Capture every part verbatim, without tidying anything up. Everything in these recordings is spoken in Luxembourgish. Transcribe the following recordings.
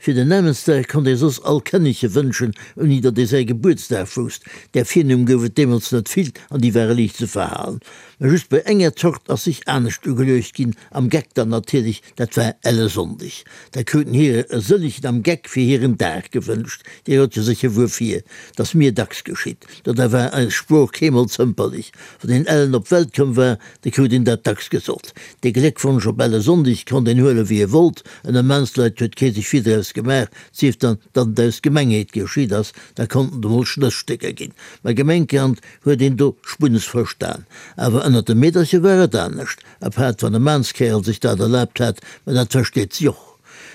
Fir den Namensdag konnt ee soss all Kënnege wënschen, ouni datt ee säi Gebuertsdag wousst. Där Virnumm gouf et deemools net vill an déi ware liicht ze verhalen. Mä just bei enger Zort ass sech anescht ugeluecht ginn, am Geck dann natierlech, dat war Ellesonndeg. Da kruten hire e sëllegen am Geck fir hiren Dag gewënscht. Dir rot jo sécher wuerfir. 't ass mir dacks geschitt. Do da war eis Sprooch keemol zëmperlech. Wann een ellen op d'Welt komm war, da krut een dat dacks gesot. Dee Gléckwonsch op Ellesonndeg konnt een huele wéi e wollt. Ënner Maansleit huet kee sech vill draus gemaach, 't sief dann, datt et aus Gemengheet geschitt ass, da konnten et emol Schnëssstécker ginn. Mä Gemengkand huet een do Spunnes verstan. Awer ënnert de Meedercher war et anescht, apaart wann e Maanskäerel sech dat erlaabt hat, mä dat versteet sech och.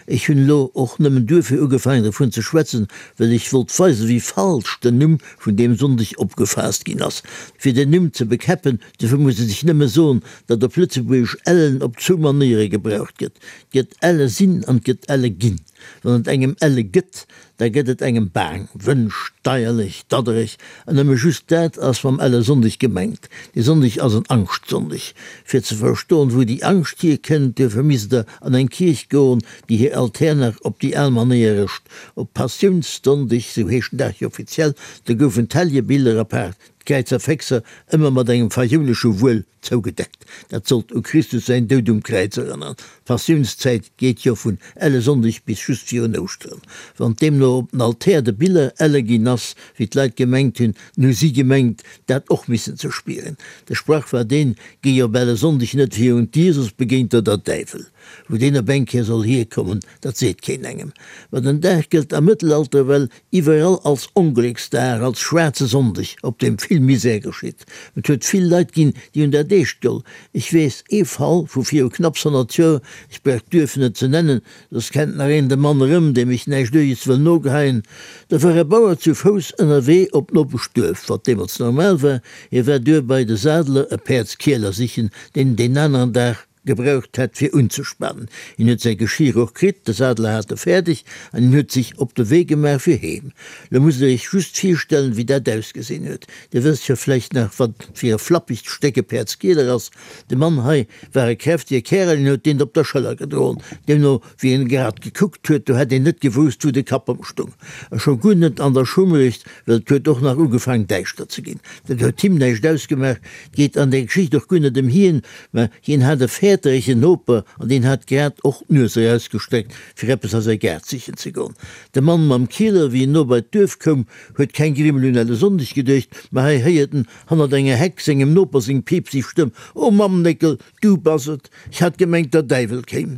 Ech hunn elo och nëmmen duerfir ugefaangen dervun ze schwätzen, well ech wollt weisen, wéi falsch den Numm vun deem Sonndeg opgefaasst ginn ass. Fir den Numm ze bekäppen, dofir muss ee sech nëmme soen, datt op Lëtzebuergesch ellen op zwou Manéiere gebraucht gëtt, 't gëtt elle sinn an 't gëtt elle ginn. Wann et engem elle gëtt, da gëtt et engem baang, wënsch, deierlech, daddereg, an nëmme just dat ass mam Ellesonndeg gemengt. Dee Sonndeg ass en Angschtsonndeg. Fir ze verstoen, wou déi Angscht hierkënnt, duerfir misst der an eng Kierch goen, déi hir Altär nach op déi al Manéier rëscht. Op Passiounssonndeg, sou heescht den Dag jo offiziell, do goufen d'Helljebiller, apaart d'Kräizerféxer, ëmmer mat engem fajounesche Wuel zougedeckt. Dat sollt u Christus säin Doud um Kräiz erënneren. D'Passiounszäit geet jo vun Ellesonndeg bis just virun Ouschteren. Wann deemno op den Altär de Biller elle ginn ass, wéi d'Leit gemengt hunn, dann hu si gemengt, dat och missen ze spieren. De Sprach war deen, Géi op Ellesonndeg net virun d'Dier, soss begéint der der Däiwel. Wou deen op eng Kéier soll hierkommen, dat seet keen engem. Ma den Dag gëllt am Mëttelalter well iwwerall als Onglécksdag, als schwaarze Sonndeg, op deem vill Misär geschitt. Et huet vill Leit ginn, déi hunn dat eescht geholl. Ech weess ee Fall vu viru knapps honnert Joer, ech brauch d'Duerf net ze nennen, soss kennt nach een de Mann erëm, deem ech näischt Uerges wëll nogeheien. Do war e Bauer zu Fouss ënnerwee op d'Nopeschduerf, wat deemools normal war. Hie war duerbei de Sadeler e Päerdskieler sichen, deen en deen aneren Dag gebraucht hätt fir unzespanen. Hien huet säi Geschir och kritt, de Sadeler hat e fäerdeg an hien huet sech op de Wee gemaach fir heem. Lo musst der iech just virstellen, wéi dat ausgesinn huet. Dir wësst jo vläicht nach, wat fir e flappegt Stéck e Päerdskieler ass. De Mann hei war e kräftege Kärel, hien huet deen op der Schëller gedroen. Deemno wéi en grad gekuckt huet, do hätt een net gewousst, wou de Kapp ëmstung. A scho guer net an der Schummerecht, well et huet och nach ugefaang däischter ze ginn. Dat huet him näischt ausgemaach. Et geet an där Geschicht och guer net ëm hien, mä hien hat e fäerteregen Noper an deen hat grad och d'Nues erausgestreckt, fir eppes a säi Gaart sichen ze goen. De Mann mam Kieler, wéi en no bei d'Duerf koum, huet keng Grimmel un Ellesonndeg geduecht, mä hei héiert en hannert enger Heck sengem Noper seng piipseg Stëmm, O Mamm Néckel, du bass et! Ech hat gemengt, der Däiwel kéim.